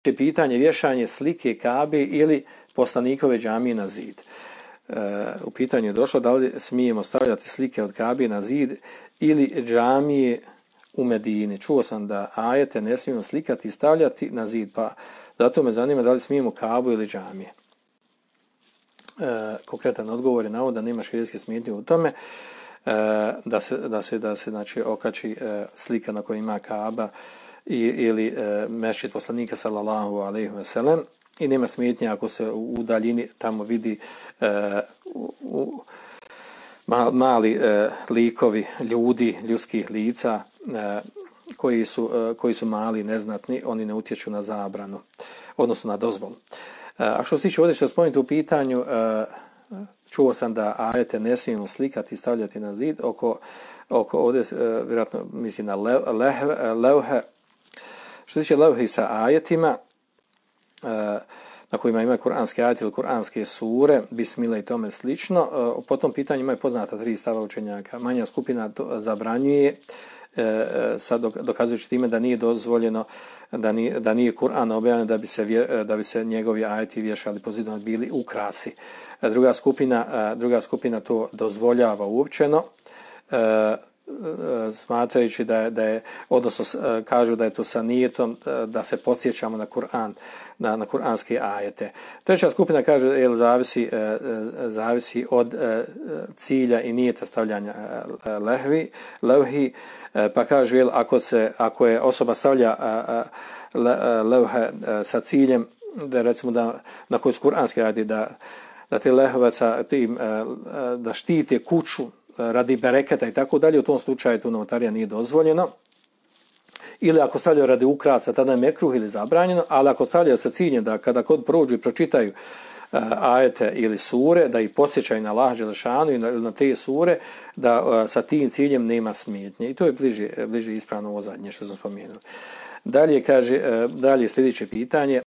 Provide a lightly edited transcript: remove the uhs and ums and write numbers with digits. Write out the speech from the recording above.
pitanje vješanje slike Kabe ili poslanikove džamije na zid. U pitanju je došlo da li smijemo stavljati slike od Kabe na zid ili džamije u Medini. Čuo sam da ajete ne smijemo slikati i stavljati na zid, pa zato me zanima da li smijemo Kabu ili džamije. Konkretan odgovor je na ovo da nema šerijatske smetnje u tome da se znači okači slika na kojoj ima Kaba ili mešćid poslanika sallallahu alejhi ve sellem, i nema smetnje ako se u daljini tamo vidi mali likovi ljudi, ljudskih lica koji su mali, neznatni, oni ne utječu na zabranu, odnosno na dozvolu. A što se tiče ovdje što spomenuti u pitanju, čuo sam da ajete ne smijemo slikati i stavljati na zid, oko ovdje vjerojatno mislim na levhe. Što se tiče levhi sa ajetima, na kojima imaju kuranske ajete ili kuranske sure, bismile i tome slično, po tom pitanju imaju poznata 3 stava učenjaka. Manja skupina to zabranjuje, sad dokazujući time da nije dozvoljeno, da nije Kur'an objavljen da bi se njegovi ajeti vješali po zidovima, bili ukrasi. Druga skupina to dozvoljava uopćeno, smatrajući da je, odnosno kažu da je to sa nijetom da se podsjećamo na Kur'an, na kuranske ajete. Treća skupina kaže zavisi od cilja i nijeta stavljanja levhi, pa kaže ako je osoba stavlja levhe sa ciljem da recimo na koji su kuranske ajete da te lehve sa tim da štite kuću radi bereketa i tako dalje, u tom slučaju tu novotarija nije dozvoljeno. Ili ako stavljaju radi ukrasa, tada je mekruh ili zabranjeno, ali ako stavljaju sa ciljem da kada kod prođu i pročitaju ajete ili sure, da ih posjećaju na Allaha dželešanu ili na te sure, da sa tim ciljem nema smetnje. I to je bliže ispravno ovo zadnje što sam spomenuo. Dalje sljedeće pitanje.